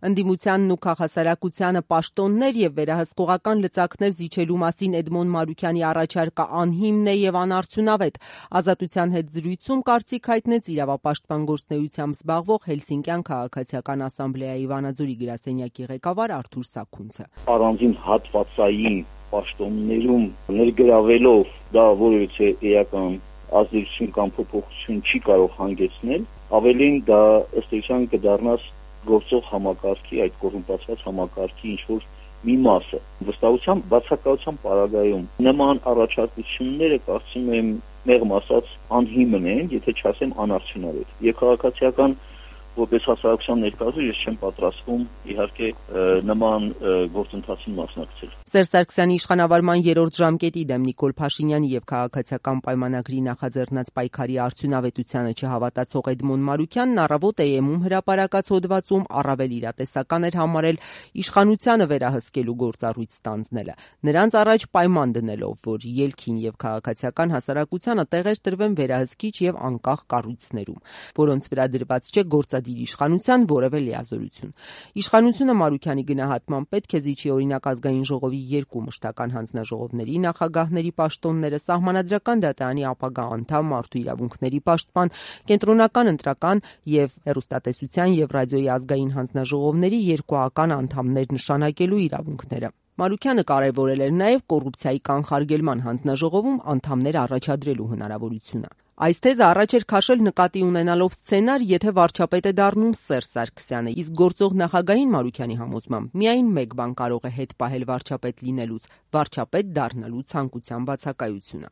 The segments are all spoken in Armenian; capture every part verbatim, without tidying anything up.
Ընդդիմությանն ու քաղաքասարակությանը պաշտոններ եւ վերահսկողական լծակներ զիջելու մասին Էդմոն Մարուքյանի առաջարկը անհիմն է եւ անարդյունավետ։ Ազատության հետ զրույցում կարծիք հայտնեց իրավապաշտպան գործունեությամբ զբաղվող Հելսինկյան քաղաքացիական ասամբլեայի Վանաձորի գրասենյակի ղեկավար Արթուր Սաքունցը։ Առանձին հատվածային պաշտոններում ներգրավելով դա որևիցե էական ազդեցություն կամ փոփոխություն չի կարող հանգեցնել, ավելին դա ըստ էության կդառնաս գործող համակարգի, այդ կոռումպացված համակարգի ինչ-որ մի մասը։ Վստահությամբ բացակայության պարագայում նման առաջարկությունները կարծում եմ մեղմ ասած անհիմն են, եթե չասեմ անարդյունավետ։ Եվ քաղաքացիական որպես հասարակության ներկայացուցիչ ես չեմ պատրաստվում իհարկե նման գործընթացին մասնակցել։ Սերժ Սարգսյանի իշխանավարման երրորդ ժամկետի դեմ Նիկոլ Փաշինյանի եւ քաղաքացիական պայմանագրի նախաձեռնած պայքարի արդյունավետությանը չհավատացող Էդմոն Մարուքյանն առավոտ Է Էմ-ում հրապարակած հոդվածում առավել իրատեսական էր համարել իշխանությանը վերահսկելու գործառույթ ստանձնելը, նրանց առաջ պայման դնելով, որ ելքին եւ քաղաքացիական հասարակությանը տեղեր տրվեն վերահսկիչ եւ անկախ կառույցներում, որոնց վրա դրված չէ գործադիր իշխանության որևէ լիազորություն։ Իշխանությունը Մարուքյանի գնահատման պետք է զիջի օրինակ ազգային ժողովի երկու մշտական հանձնաժողովների նախագահների պաշտոնները, սահմանադրական դատարանի ապագա անդամ, մարդու իրավունքների պաշտպան, կենտրոնական ընտրական եւ հեռուստատեսության եւ ռադիոյի ազգային հանձնաժողովների երկուական անդամներ նշանակելու իրավունքները։ Մարուքյանը կարևորել էր նաև կոռուպցիայի կանխարգելման հանձնաժողովում անդամներ առաջադրելու հնարավորությունը։ Այս թեզը առաջ էր քաշել նկատի ունենալով սցենար, եթե վարչապետ է դառնում Սերժ Սարգսյանը, իսկ գործող նախագահին Մարուքյանի համոզմամբ միայն մեկ բան կարող է հետ պահել վարչապետ լինելուց՝ վարչապետ դառնալու ցանկության բացակայությունը։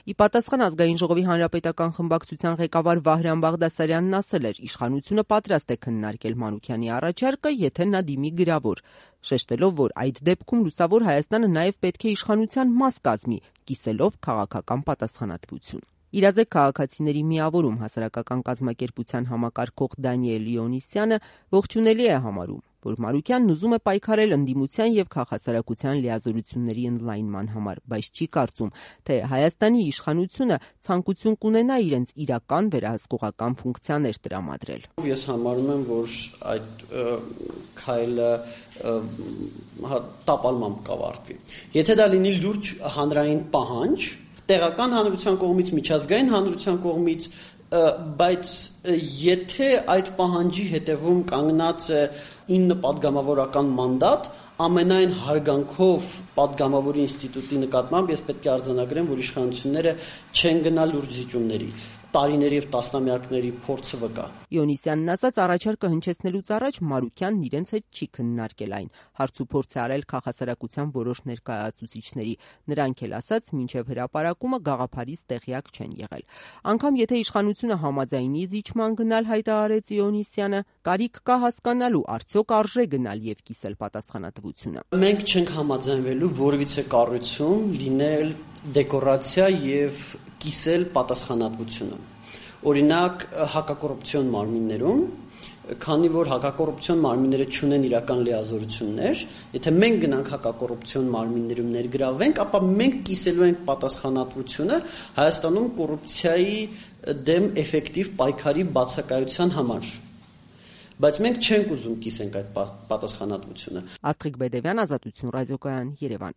Ի պատասխան ազգային ժողովի հանրապետական խմբակցության ղեկավար Վահրամ Բաղդասարյանն ասել էր՝ իշխանությունը պատրաստ է քննարկել Մարուքյանի առաջարկը, եթե նա դիմի գրավոր, շեշտելով, որ այդ դեպքում Լուսավոր Հայաստանը նաև պետք է իշխանության մաս կազմի, կիսելով քաղաքական պատասխանատվություն։ Իրազեկ քաղաքացիների միավորում հասարակական կազմակերպության համակարգող Դանիել Լիոնիսյանը ողջունելի է համարում, որ Մարուքյանն ուզում է պայքարել ընդդիմության եւ քաղաքասարակության լիազորությունների ընդլայնման համար, բայց չի կարծում, թե Հայաստանի իշխանությունը ցանկություն կունենա իրենց իրական վերահսկողական ֆունկցիաներ տրամադրել։ Ես համարում եմ, որ այդ քայլը տապալմամբ կավարտվի։ Եթե դա լինի լուրջ հանրային պահանջ, տեղական հանրության կողմից, միջազգային հանրության կողմից, բայց եթե այդ պահանջի հետևում կանգնած է ինը պատգամավորական մանդատ, ամենայն հարգանքով պատգամավորի ինստիտուտի նկատմամբ ես պետք է արձանագրեմ, որ իշխանությունները չեն գնա լուրջ զիջումների, տարիների եւ տասնամյակների փորձը վկա։ Իոնիսյանն ասաց, առաջարկը հնչեցնելուց առաջ Մարուքյանն իրենց հետ չի քննարկել այն, հարցուփորձ է արել քաղաքասարակության որոշ ներկայացուցիչների, նրանք էլ ասաց, մինչև հրապարակումը գաղափարից տեղյակ չեն եղել։ Անկամ եթե իշխանությունը համաձայնի զիջման գնալ, հայտարարեց Իոնիսյանը, կարիք կա հասկանալու, արդյոք արժե գնալ եւ կիսել պատասխանատվությունը։ Մենք չենք համաձայնվելու որևիցե կառույցում լինել դեկորացիա եւ կիսել պատասխանատվությունը։ Օրինակ հակակոռուպցիոն մարմիններում, քանի որ հակակոռուպցիոն մարմինները չունեն իրական լիազորություններ, եթե մենք գնանք հակակոռուպցիոն մարմիններում ներգրավենք, ապա մենք կիսելու ենք պատասխանատվությունը Հայաստանում կոռուպցիայի դեմ էֆեկտիվ պայքարի բացակայության համար։ Բայց մենք չենք ուզում կիսենք այդ պատասխանատվությունը։ Աստղիկ Բեդևյան, Ազատություն ռադիոկայան, Երևան։